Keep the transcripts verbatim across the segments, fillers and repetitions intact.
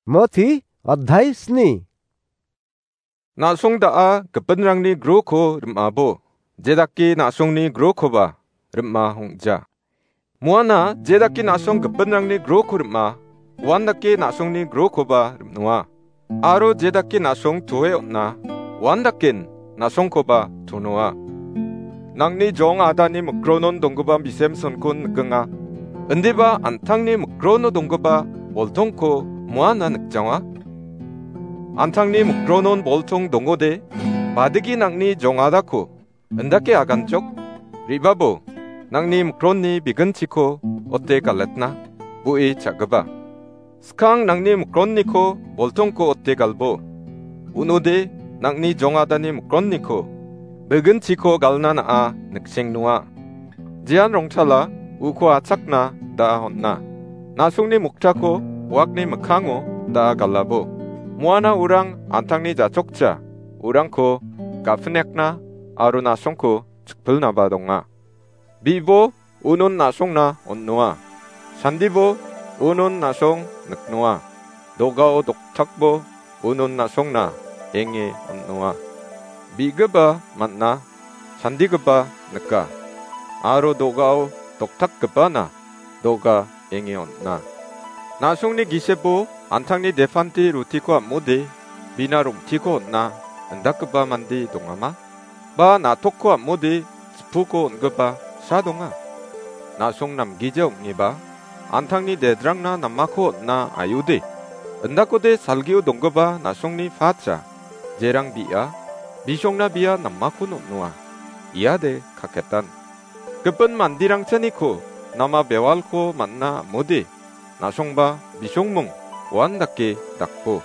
Moti, adhai sni. Na·song da·a gipinrangni groko rim·abo, jedake na·songni grokoba rim·a ong·ja. Muana jedake na·song gipinrangni groko rim·a, uandake na·songni grokoba rim·noa. Aro jedake na·song toe on·a, uandaken na·songkoba tonoa. Nangni jong adani mikronon donggipa bisemsonkon nikenga. Indiba an·tangni mikrono donggipa boltongko muana nikjawa. An·tangni mikronon boltong dongode, badigi nangni jong adako indake aganchok, re·babo, nangni mikronni biginchiko ote galetna, bu·e cha·gipa. Skang nangni mikronniko boltongko ote galbo. Unode nangni jong adani mikronniko biginchiko galna na·a niksengnoa. Jean rongtala uko achakna da·a on·a. Na·songni moktako wakni mikkango da·a galabo. Muana urang an·tangni jachokja, urangko ga·pinekna aro na·songko chikpilnaba donga. Bibo, unon na·songna on·noa. Sandibo, unon na·song niknoa. Do·gao doktakbo, unon na·songna enge on·noa. Bi·gipa man·a, sandigipa nika. Aro do·gao doktakgipana do·ga enge on·a. Na·songni gisebo an·tangni depante rutiko am·ode, bina rong·tiko on·a, indakgipa mande dongama? Ba na·tokko am·ode, chipuko on·gipa sa donga? Na·song namgija ong·eba, an·tangni dedrangna namako on·na aiode, indakode salgio donggipa na·songni pacha, jerang bi·a, bisongna bia namakon on·noa. Iade kaketan. Gipin mandirangchaniko nama bewalko man·na am·ode, na·songba bisongmung uandake dakbo.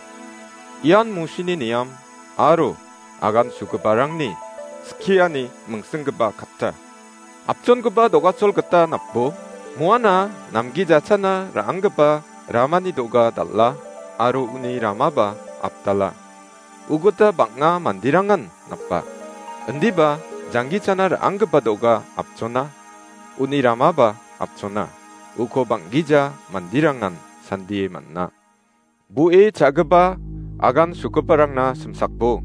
Ian Musini niam aro agan sugiparangni skiani mingsinggipa katta. Apchongipa do·gachol gita napbo, muana namgijachana ra·anggipa ramani do·ga dal·a aro uni ramaba apdala. Uguta bang·a manderangan napa. Indiba janggichana ra·anggipa do·ga apchona, uni ramaba apchona. Uko bang·gija manderangan sandie man·a. Bu·e cha·gipa agan sugiparangna simsakbo.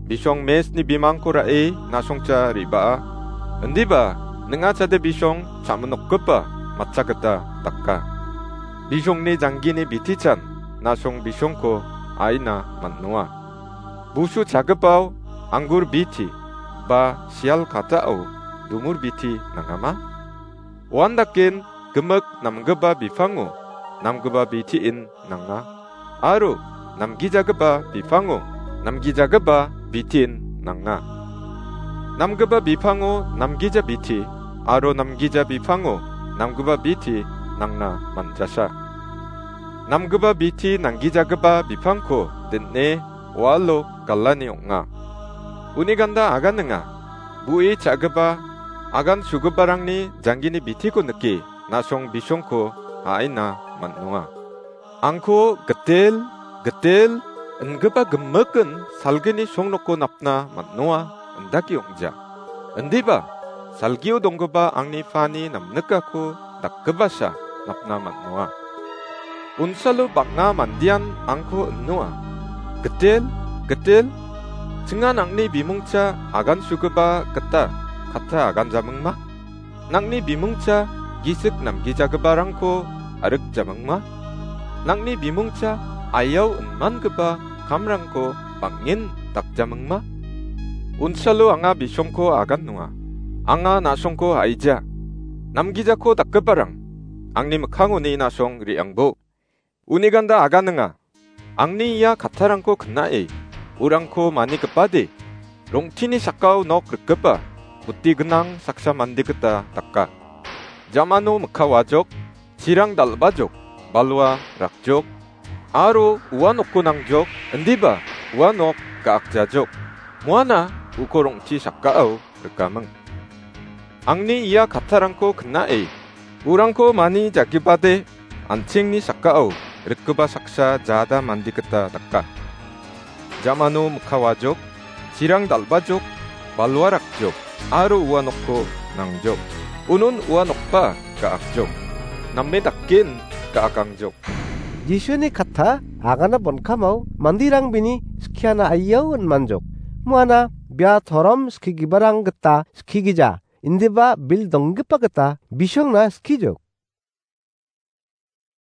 Bisong mesni bimangko ra·e na·songcha re·baa. Indiba ning·achade bisong chaminokgipa matcha gita daka. Bisongni janggini bitichan na·song bisongko a·ina man·noa. Busu chagipao anggur biti ba sial katao dumur biti nangama? Uandaken gimik namgipa bipango namgipa bitiin nanga, aro namgijagipa bipango namgijagipa bitiin nanga. Namgipa bipango namgija biti, aro namgija bipango namgipa biti nangna manjasa. Namgipa biti nanggijagipa bipangko din·e walo galani ong·a. Uni ganda aganinga, bu·e cha·gipa agan sugiparangni janggini bitiko nike na·song bisongko a·ina man·noa. Angko gitel, gitel ingipa gimikin salgini songnoko napna man·noa, indake ong·ja. Indiba, salgio donggipa angni pani namnikako dakgipasa napna man·noa. Unsalo bang·a mandean angko inoa. Gitel, gitel, chingan angni bimungcha agan sugipa gita katta agan jamingma? Nangni bimungcha gisik namgijagiparangko arik jamingma? Nangni bimungcha ayau inmangipa kamrangko bang·en dakjamingma? Unsalo anga bisongko agan nonga. Anga na·songko haija. Namgijako dakgiparang, angni mikkangoni na·song re·angbo. Uni ganda aganinga. Angni ia kattarangko knae, urangko manigipade, rong·tini sakao nok rikgipa, buti gnang saksa mande gita daka. Jamano mikka wajok, chirang dal·bajok, balwa rakjok, aro ua nokko nangjok, indiba ua nok ga·akjajok. Muana uko rong·ti sakao rikaming. Angni ia kattarangko knae, urangko mani jagipade, an·chengni sakao rikgipa saksa jada mande gita daka. Jamano mikka wajok, chirang dal·bajok, balwa rakjok, aro ua nokko nangjok. Unon ua nokba ga·akjok. Name daken ga·akangjok. Jisuni katta agana bonkamao mandirang bini skiana aiao inmanjok. Muana bia torom skigibarang gita skigija, indiba bil donggipa gita bisongna skijok.